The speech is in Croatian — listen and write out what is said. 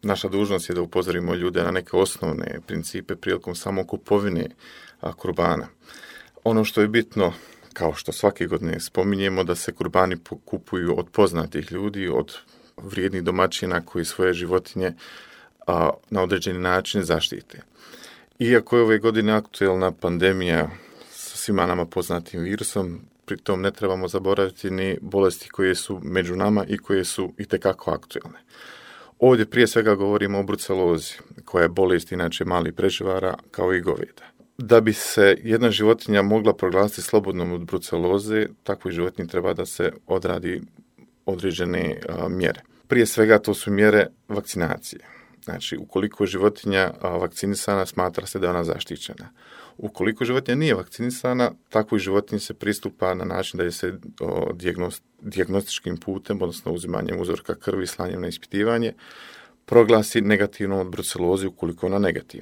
naša dužnost je da upozorimo ljude na neke osnovne principe prilikom samo kupovine kurbana. Ono što je bitno, kao što svake godine spominjemo, da se kurbani kupuju od poznatih ljudi, od vrijednih domaćina koji svoje životinje na određeni način zaštite. Iako je ove godine aktuelna pandemija sa svima nama poznatim virusom, pritom ne trebamo zaboraviti ni bolesti koje su među nama i koje su itekako aktuelne. Ovdje prije svega govorimo o brucelozi, koja je bolest inače malih preživara kao i goveda. Da bi se jedna životinja mogla proglasiti slobodnom od bruceloze, takvoj životinji treba da se odradi određene mjere. Prije svega to su mjere vakcinacije. Znači, ukoliko je životinja vakcinisana, smatra se da je ona zaštićena. Ukoliko životinja nije vakcinisana, takvoj životinji se pristupa na način da je se dijagnostičkim putem, odnosno uzimanjem uzorka krvi, slanjem na ispitivanje, proglasi negativnom od brucelozi ukoliko je ona negativna.